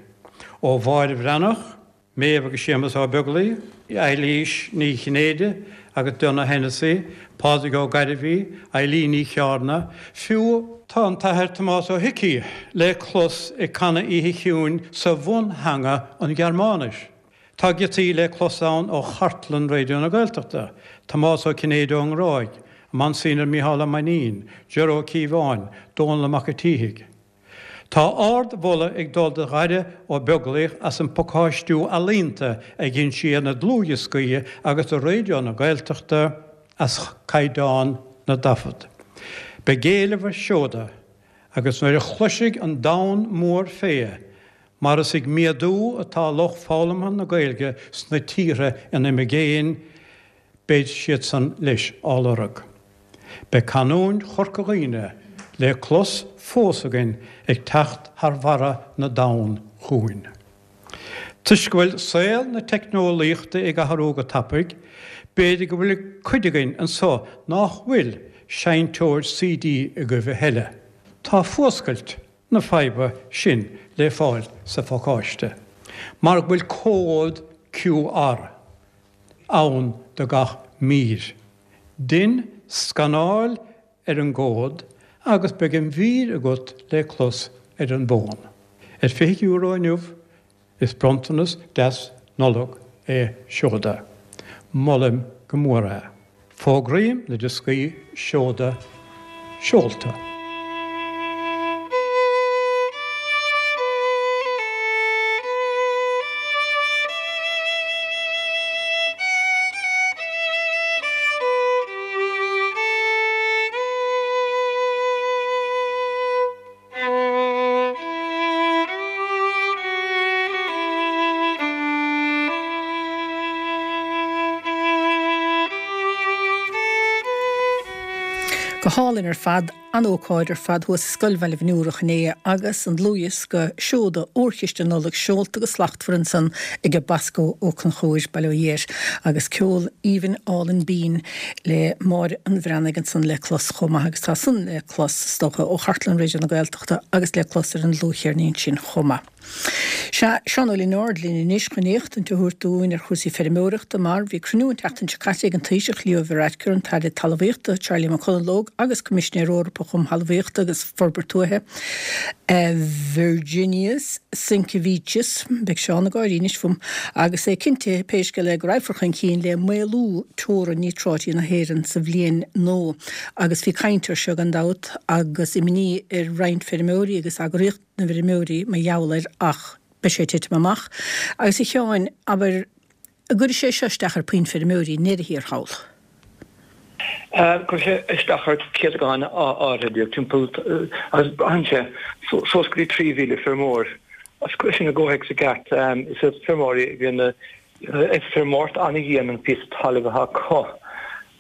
ó Mháire Bhreathnach, Méabh agus Séamus Ó Beaglaoich, Eilís Ní Chinnéide agus Donogh Hennessy, Pádraig Ó Gairbhí, Eilín Ní Chearna, fiú tá an tAthair Tomás Ó hIcí le clos ag canadh Oíche Chiúin sa bhuntheanga, an Ghearmáinis. Tá giotaí le clos ann ó chartlann Raidió na Gaeltachta, Tomás Ó Cinnéide ón nGráig, Monsignor Mícheál Ó Mainnín, Ger Ó Cíobháin, Dónall Mac a' tSíthigh. Tá ard-mholadh ag dul do Dhaire Ó Beaglaoich as an bpacáistiú ealaíonta a dhein sé ar na dlúthdhioscaí agus do Raidió na Gaeltachta as caighdeán na dtaifead. Beidh éileamh ar Seoda agus nuair a chloisfidh an domhan mór fé mar is ag méadú atá lucht foghlamtha na Gaeilge sna tíortha in imigéin, beidh siad san leis á lorg. Beidh canúint Chorca Dhuibhne le clos fós againn ag teacht thar bharra na dtonn chugainn. Toisc go bhfuil saol na teicneolaíochta ag athrú go tapaidh, b'fhéidir go bhfuil cuid againn anso nách bhfuil seinnteoir CD agaibh a thuilleadh. Tá fuascailt na faidhbe sin le fáil sa phacáiste, mar go bhfuil cód QR ann do. do gach mír. Dein scanáil ar an gcomhad agus beidh an mhír agat le clos ar an bhfón. Ar €20 inniu, is bronntanas deas Nollag é Seoda. Molaim go mór é. Fógraím na dioscaí Seoda seolta. Go hálainn ar fad, an-ócáid ar fad thuas i Scoil Bhaile Bhniúrach inné agus an dlúthdhiosca Seoda Órchiste Nollag seolta go slachtmhar ansan ag Bosco Ó Conchúir, Bail ó Dhia air, agus ceol aoibhinn álainn binn le Máire an Bhreathnaigh ansan le clos chomh maith agus tá san le clos, is dócha, ó chartlann Raidió na Gaeltachta agus le clos ar an dlúthcheirnín sin chomh maith. Sea, Seán Ó Lionáird linn anois chun éachtaint a thabhairt dúinn ar chúrsaí feirmeoireachta mar bhí cruinniú an tseachtain seo caite ag an Taoiseach Leo Varadkar, an tAire Talmhaíochta Charlie McConalogue agus Coimisinéir Eorpach um Thalmhaíocht agus Forbairt Tuaithe, Virginijus Sinkevičius, beidh Seán ag gáirí anois fúm, agus é cinntithe pé scéal é go raghfar chun cinn le maolú teorann níotráití na hÉireann sa bhliain nua. Agus bhí caint air seo gan dabht agus imní ar roinnt feirmeoirí agus eagraíocht na bhfeirmeoirí mar gheall air ach beidh sé ag titim amach. Agus a Sheáin, abair, an gcuirfidh sé seo isteach ar puinn feirmeoirí i ndeireadh thiar thall? Cuirfidh sé isteach ar chéatadán áirithe díobh, timpeall, agus braitheann sé, suas go dtí 3,000 feirmeoir. Agus cuir sin i gcomhthéacs i gceart, is iad feirmeoirí a bhíonn ag feirmeoireacht an-dhian an píosa talaimh atá acu.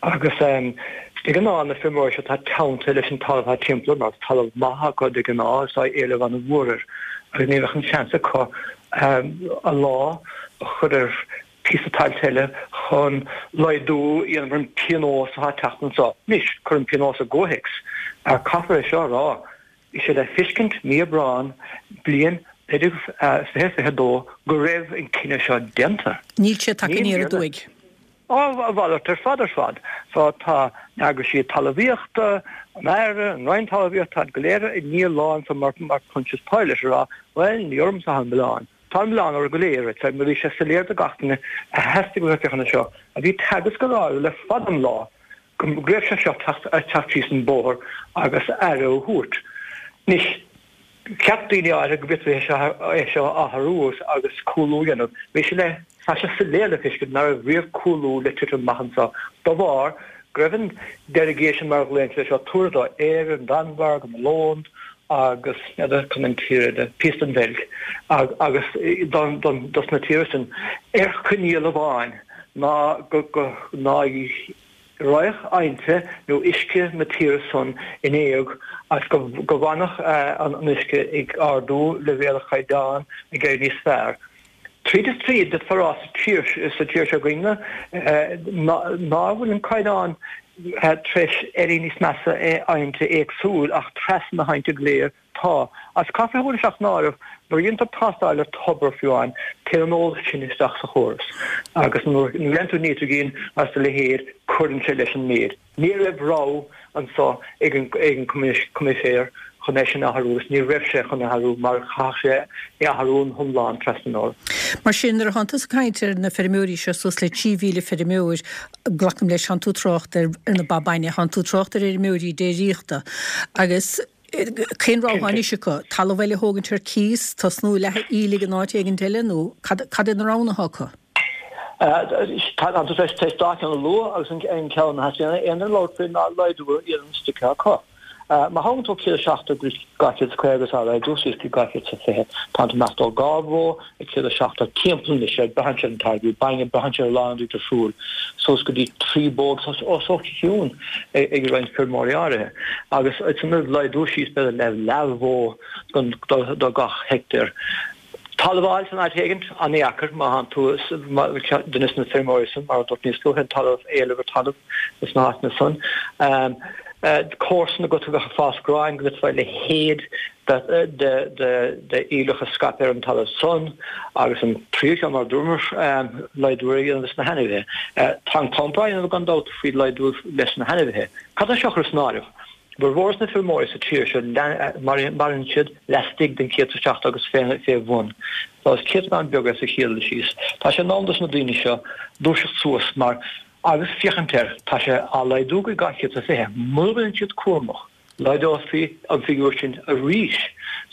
Agus de ghnáth na feirmeoirí seo tá teannta leis an talamh atá timpeall orthu, mar is talamh maith acu de ghnáth agus tá éileamh an-mhór air, agus ní bheadh an seans acu a lámh a chur ar phíosa tailte eile chun laghdú a dhéanamh ar an bpionós atá ag teacht anseo. Anois, cuir an pionós i gcomhthéacs. Caithfear é seo a rá, bhí sé le feiscint mí Aibreán bliain 2022 go raibh an cinneadh seo déanta. Níl sé tagtha aniar aduaidh. Á, a mhalairt ar fad ar fad. So tá na heagraisí talmhaíochta, an Aire, an Roinn Talmhaíochta, táid go léir i ndiaidh a lá anso mar Pontius Pilate a rá, bhuel, ní ormsa atá an milleán. Tá an milleán oraibh go léir, mar bhí sé soiléir do gach duine a sheas ag féachaint air seo, a bhí Teagasc ag rá le fada an lá, go raibh sé seo ag teacht síos an bóthar agus aire a thabhairt. Anois, cheap daoine áirithe go bhféadfaí é seo a athrú agus cúlú a dhéanamh. Bhí sé le, tá sé soiléir le feiscint nach raibh riamh cúlú le titim amach anseo de bharr go raibh an delegation mar a ghlaonn siad air seo tabhartha do Éire, an Danmhairg, an Ollainn agus n'fheadar cén an tír eile, píosa den Bheilg agus dos na tíortha sin ar choinníoll amháin ná go ná raghadh aibhnte nó uisce na tíre san in éag agus go bhfanfadh an uisce ag ardú leibhéal an chaighdeáin ag éirí níos fearr. Tríd is tríd, d'fhéadfá a rá sa tír sa tír seo againne ná bhfuil an caighdeán tar éis éirí níos measa i aibhnte éagsúil ach trasna na haibhnte go léir tá. Agus caithfear a thabhairt isteach san áireamh nuair a dhéantar tástáil ar tobar fiú amháin téann an eolas sin isteach sa chóras agus nuair a dhéanann tú nítrigin agus a leithéid cuireann sé leis an méid. Ní raibh rogha anso ag an Coimisinéir chun é sin a athrú agus ní raibh sé chun é athrú mar chaithfeadh sé é athrú in iomlán trasna an Eoraip. Mar sin, nuair a thánn tusa ag caint ar na feirmeoirí seo, suas le 3,000 feirmeoir, glacaim leis, thánn tú ag trácht ar na ba bainne, thánn tú ag trácht ar fheirmeoirí déiríochta agus cén rogha atá anois acu? Talamh eile a thógaint ar cíos, tosnú ag leathadh aoiligh in áit éigint eile nó cad é na roghanna atá acu? Tá tú tar éis dá cheann a lua agus an ceann a theastaíonn aon duine labhairt faoi ná laghdú a dhéanamh an stoic acu. Má thagann tú 170 go 250 agus á laghdú suas go 220, tá tú ag imeacht ó dhá bhó ag 170 timpeall anois, braitheann sé ar an táirgeadh bainne, braitheann sé ar a lán rudaí difriúil, suas go dtí trí bó agus os a chionn ag roinnt feirmeoirí áirithe. Agus ansan laghdú síos b'fhéidir le leathbhó do gach heicteár. Talamh a fháil san áit éigint, an-dheacair má thánn tú duine de na feirmeoirí san, mar a dúirt níos luaithe, an talamh, éileamh ar talamh sna háiteanna san. Comharsan agat a bheadh ag fás gráin go bhféadfá a leithéid de aoileach a scaipeadh ar an talamh san agus an tríú ceann mar a dúramar, laghdú a dhéanamh leis na hainmhithe. Tá an comparáid á dhéanamh gan dabht faoi laghdú leis na hainmhithe. Cad tá seo a chur san áireamh? Formhór na feirmeoirí sa tír seo maireann siad laistigh den 170 agus fé bhun. So is céatadán beag é sa chéad dul síos. Tá sé in am dos na daoine seo dúiseacht suas mar agus féachaint air, tá sé á laghdú go 220. Mura mbíonn siad cúramach, laghdófaí an figiúr sin arís.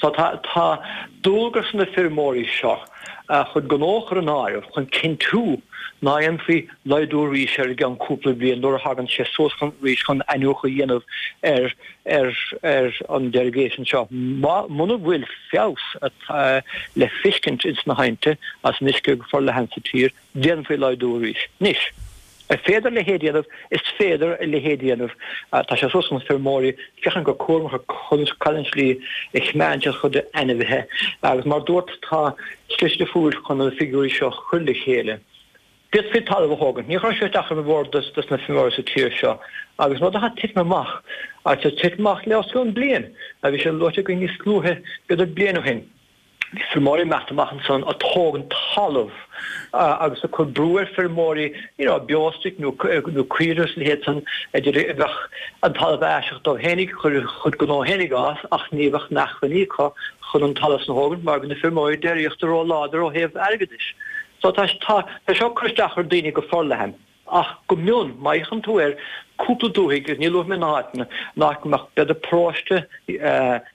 So tá tá dualgas ar na feirmeoirí seo a chuid gnó a chur in áireamh chun cinntiú ná dhéanfaí laghdú arís air i gceann cúpla bliain nuair a thagann sé suas chun arís chun iniúchadh a dhéanamh ar ar ar an derogation seo. Muna bhfuil feabhas le feiscint ins na haibhnte as an uisce go forleathan sa tír, déanfaí laghdú arís. Anois, an féidir a leithéid a dhéanamh? Is féidir a leithéid a dhéanamh. Tá sé suas chun feirmeoirí féachaint go cúramach ar conas cad an tslí a choimeádann siad a chuid ainmhithe agus mar dúrt tá slite difriúil chun na figiúirí seo a chur le chéile. D'fhéadfaí talamh a thógaint. Ní chuirfeadh sé isteach ar mhórán dos na feirmeoirí sa tír seo agus rud atá titim amach agus tá titim amach le os cionn bliain a bhí sé luaite againn níos luaithe b'fhéidir bliain ó shin. Bhí feirmeoirí ag imeacht amach ansan ag tógaint talamh agus ag cur brú ar feirmeoirí you know beostoic nó nó caoirigh is a leithéid san a d'iarraidh a bheadh an talamh aiseach dóibh fhéinig chur a chuid gnó fhéinig a fhás ach ní bheadh na hacmhainní acu chun an talamh san a thógaint mar bhí na feirmeoirí déiríochta ró-láidir ó thaobh airgeadais. So tá tá tá seo ag cur isteach ar daoine go forleathan. Ach go mion, má fhéachann tú ar cúpla dúthaigh, agus ní luafaidh mé na háiteanna, in áit go mbeadh b'fhéidir paróiste,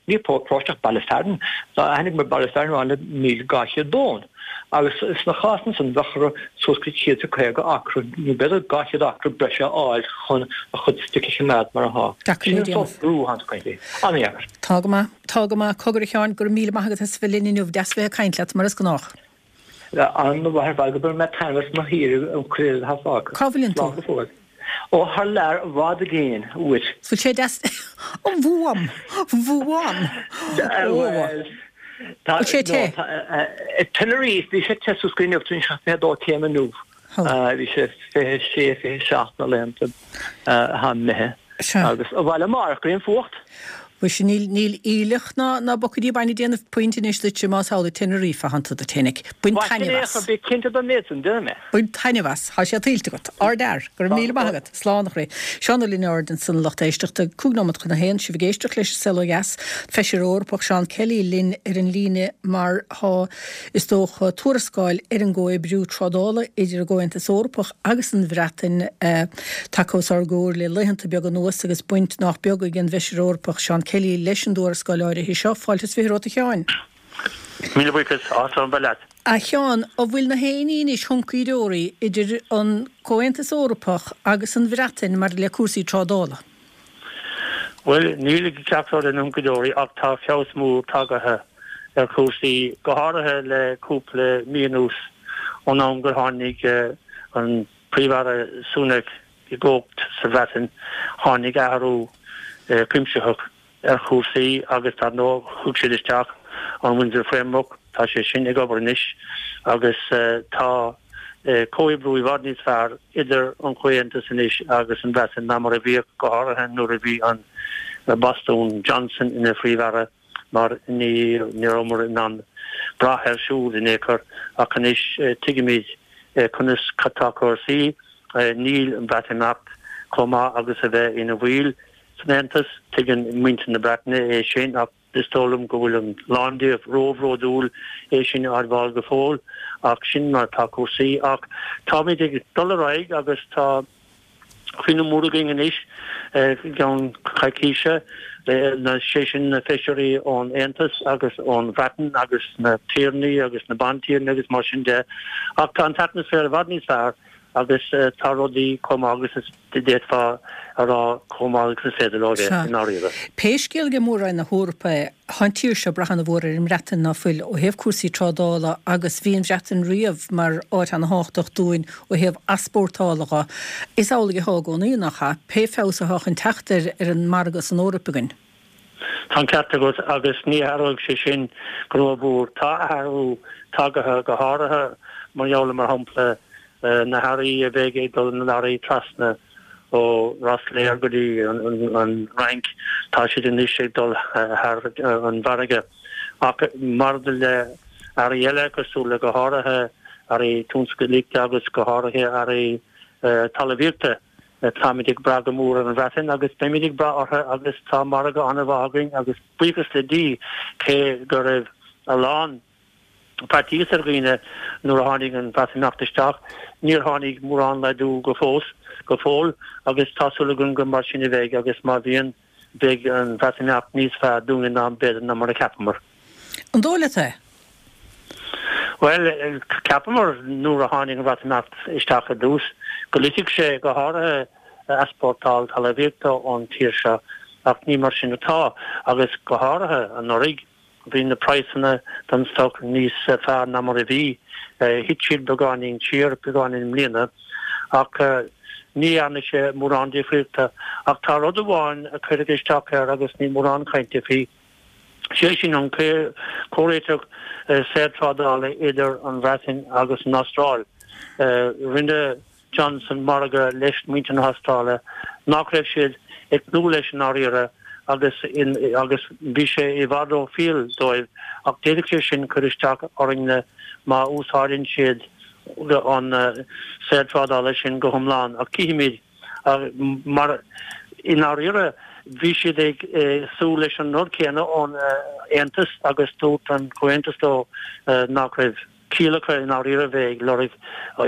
ní paróiste ach baile fearainn, tá aithne agam ar baile fearainn amháin le 1,200 bó ann. Agus sna cásanna san bheadh orthu suas go 150 acra, nó b'fhéidir 200 acra breise a fháil chun a chuid stoic a choimeád mar atá. Deacair Sin le an déanamh. sórt brú atá ann. An-dheacair. Tá go maith. Tá go maith. Cogar a Sheáin, go raibh míle maith agat as a bheith linn inniu. Deas bheith ag caint leat, mar is gnách. An-mhaith ar fad go mbainfidh mé taitneamh as mo shaoire an chuid eile atá fágtha. Cá bhfuileann tú? Slán go fóill. Ó thar lear i bhfad i gcéin uait. Bhfuil sé deas? Ó bhuam! Bhuam! Ó! Bhuel, tá, Bhfuil sé te? no, tá, Tenerife, bhí sé te suas go inniu, tá sé 22 céim inniu. Bhí sé 26, 27 na laethanta atá imithe. Sea. Agus abhaile amárach go dtí an fuacht. Mhuise, níl, níl aoileach ná, ná bucaidí bainne ag déanamh puint anois duitse más amhlaidh Tenerife atánn tú duit fhéinig. Bain Mhaith sin taitneamh é, as. bí cinnte den méid san, déanfaidh mé. Bain taitneamh as. Tá sé tuillte agat. Ardfhear. Go raibh míle maith agat. Slán, a chroí. Seán Ó Lionáird ansan a lucht éisteachta. 5 nóiméad chun a haon. Sibh ag éisteacht leis an Saol Ó Dheas. Feisire Eorpach Seán Kelly linn ar an líne mar tá Is dócha, tuarascáil ar an gcomhoibriú trádála idir an gComhaontas Eorpach agus an Bhreatain tagtha os ár gcomhair le laethanta beaga anuas agus baint nách beag ag an bhFeisire Eorpach Seán Kelly leis an dtuarascáil áirithe seo. Fáilte is 20 romhat a Sheáin. Míle buíochas, áthas orm bheith leat. A Sheáin, an bhfuil na héinní anois huncaí deoraí idir an Comhaontas Eorpach agus an Bhreatain maidir le cúrsaí trádála? Bhuel, níl i gceart ar an huncaí deoraí ach tá feabhas mór tagaithe ar chúrsaí, go háirithe le cúpla mí anuas ón am gur tháinig an Príomh-Aire Sunak i gcumhacht sa Bhreatain. Tháinig athrú cuimsitheach ar chúrsaí agus dar ndóigh thug siad isteach an Windsor Framework, tá sé sin ag obair anois agus tá comhoibriú i bhfad níos fearr idir an Comhaontas anois agus an Bhreatain ná mar a bhíodh, go háirithe nuair a bhí an bastún Johnson ina Phríomh-Aire mar ní rabhamar in ann brath air siúd in aon chor ach anois tuigimid conas atá cúrsaí. Níl an Bhreatimeacht chomh maith agus a bheith ina bhaill san Aontas. Tuigeann muintir na Breataine é sin ach is dóigh liom go bhfuil a lán díobh róbhródúil é sin a admháil go fóill ach sin mar atá cúrsaí. Ach táimid ag dul ar aghaidh agus tá cruinniú mór againn anois i gceann coicíse, sé sin na feisirí ón Aontas agus ón Bhreatain agus na tiarnaí agus na bantiarnaí agus mar sin de. Ach tá an t-atmaisféar i bhfad níos fearr agus tá rudaí chomh maith agus is d'fhéadfá a rá chomh maith agus is féidir leo a bheith, i ndáiríre. Pé scéal aige Mór-Roinn na hEorpa é, tá an tír seo ag brath ana-mhór ar an mBreatain, ná fuil, ó thaobh cúrsaí trádála agus bhí an Bhreatain riamh mar áit ana-thábhachtach dúinn ó thaobh easpórtála dho. Is amhlaidh atá i gcónaí, nach ea? Pé feabhas atá chun teacht ar ar an margadh san Eoraip againn. Tá an ceart agat agus ní athróidh sé sin go rómhór. Tá athrú tagaithe, go háirithe mar gheall ar, mar shampla, na hearraí a bheidh ag dul na leoraí trasna. Ó Rosslare go dtí an Fhrainc, tá siad anois ag dul thar an bhfarraige. Ach maidir le earraí eile, cosúil le go háirithe earraí tionsclaíochta agus go háirithe earraí talmhaíochta, táimid ag brath go mór ar an Bhreatain agus beimid ag brath orthu agus tá margadh an-mhaith againn agus buíochas le Dia cé go raibh a lán faitíos ar dhaoine nuair a tháinig an Bhreatimeacht isteach. Níor tháinig mórán laghdú go fós, go fóill, agus tá súil againn gur mar sin a bheidh agus má bhíonn, beidh an Bhreatimeacht níos fearr dúinne ná b'fhéidir ná mar a cheapamar. An dóigh leat é? Bhuel, cheapamar nuair a tháinig an Bhreatimeacht isteach i dtús go loitfeadh sé go háirithe easpórtáil talmhaíochta ón tír seo ach ní mar sin atá agus go háirithe anuraidh. Bhí na praghsanna don stoc níos fearr ná mar a bhí. Thit siad beagáinín siar beagáinín i mbliana ach ní dhearna sé mórán difríochta. Ach tá rud amháin a chuirfeadh isteach air agus níl mórán cainte faoi, sé sin an comhréiteach saorthrádála idir an Bhreatain agus an Astráil. Rinne Johnson margadh leis muintir na hAstráile nach raibh siad ag tnúth leis i ndáiríre agus agus bhí sé i bhfad rófhial dóibh ach d'fhéadfadh sé sin cur isteach orainne má úsáideann siad an saorthrádála sin go hiomlán ach cífimid mar i ndáiríre bhí siad ag súil leis an rud céanna ón Aontas agus dúirt an Comhaontas leo nach raibh. ciall acu i ndáiríre a bheith ag lorg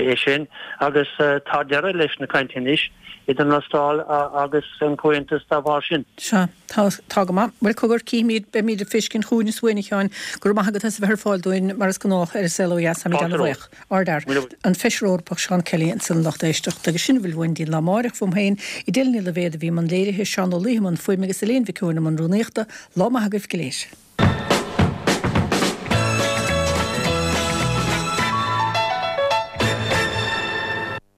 é sin agus tá deireadh leis na cainteanna anois idir an Astráil agus an Comhaontas dá bharr sin. Sea, tá, tá go maith. Bhuel, cogar, cífimid, beimid ag feiscint chugainn is uainn, a Sheáin. Go raibh maith agat as a bheith ar fáil dúinn, mar is gnách, ar An Saol Ó Dheas. Táimid ana-bhuíoch. Ardfhear. An Feisire Eorpach Seán Kelly ansan a lucht éisteachta. Agus sin a bhfuil uainn dtí'n lá amáireach fúm féin, Edel Ní Loibhéad a bhí i mbun léirithe, Seán Ó Laoithe i mbun fuaime agus Elaine Mhic Eoin i mbun rúnaíochta. Lá maith agaibh go léir.